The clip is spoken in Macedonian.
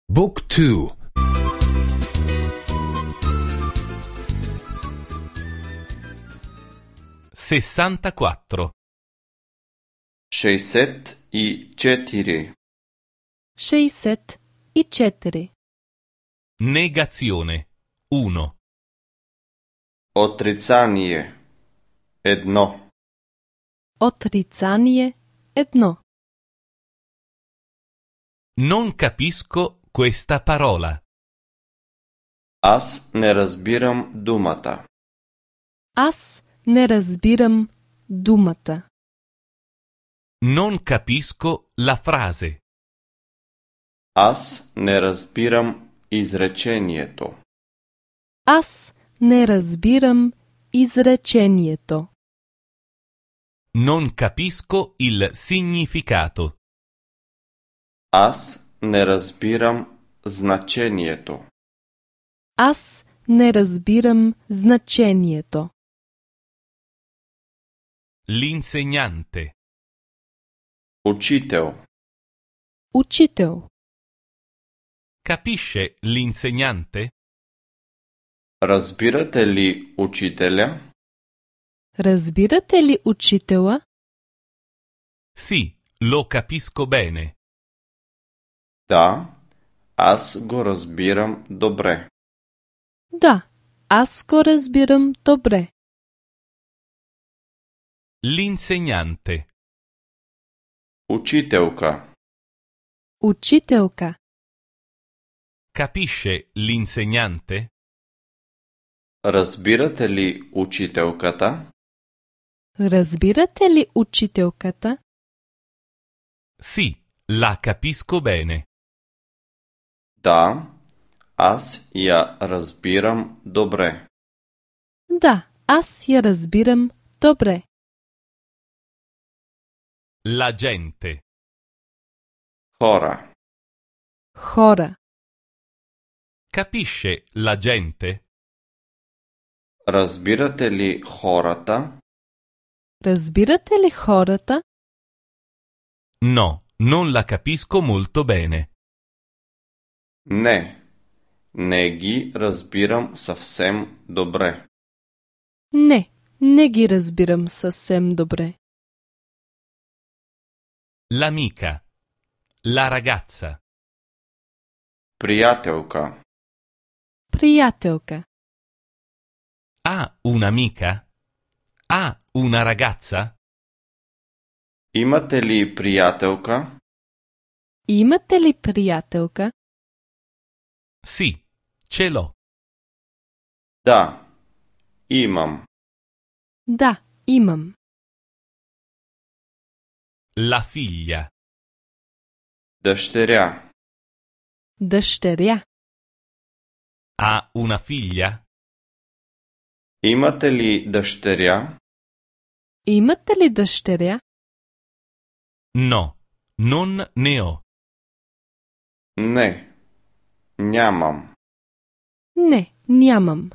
Book 2. 64. 64. 64. Negazione 1. Отрицание 1. Отрицание 1. Non capisco questa parola. Аз не разбирам думата. Аз не разбирам думата. Non capisco la frase. Аз не разбирам изречението. Аз не разбирам изречението. Non capisco il significato. Аз не разбирам значението. Аз не разбирам значението. L'insegnante. Учител. Учител. Capisce l'insegnante? Разбирате ли учителя? Разбирате ли учителя? Sì, lo capisco bene. Да, аз го разбирам добре. Да, аз го разбирам добре. L'insegnante. Учителка. Учителка. Capisce l'insegnante? Разбирате ли учителката? Разбирате ли учителката? Sì, la capisco bene. Да, аз я разбирам добре. Да, аз я разбирам добре. La gente. Хора. Хора. Capisce la gente? Разбирате ли хората? Разбирате ли хората? No, non la capisco molto bene. Не. Не ги разбирам съвсем добре. Не, не ги разбирам съвсем добре. L'amica. La ragazza. Приятелка. Приятелка. Ha un'amica? Ha una ragazza? Имате ли приятелка? Имате ли приятелка? Sì, ce l'ho. Да. Имам. Да, имам. La figlia. Дъщеря. Дъщеря. Ha una figlia? Имате ли дъщеря? Имате ли дъщеря? No, non ne ho. Не. Нямам. Не, нямам.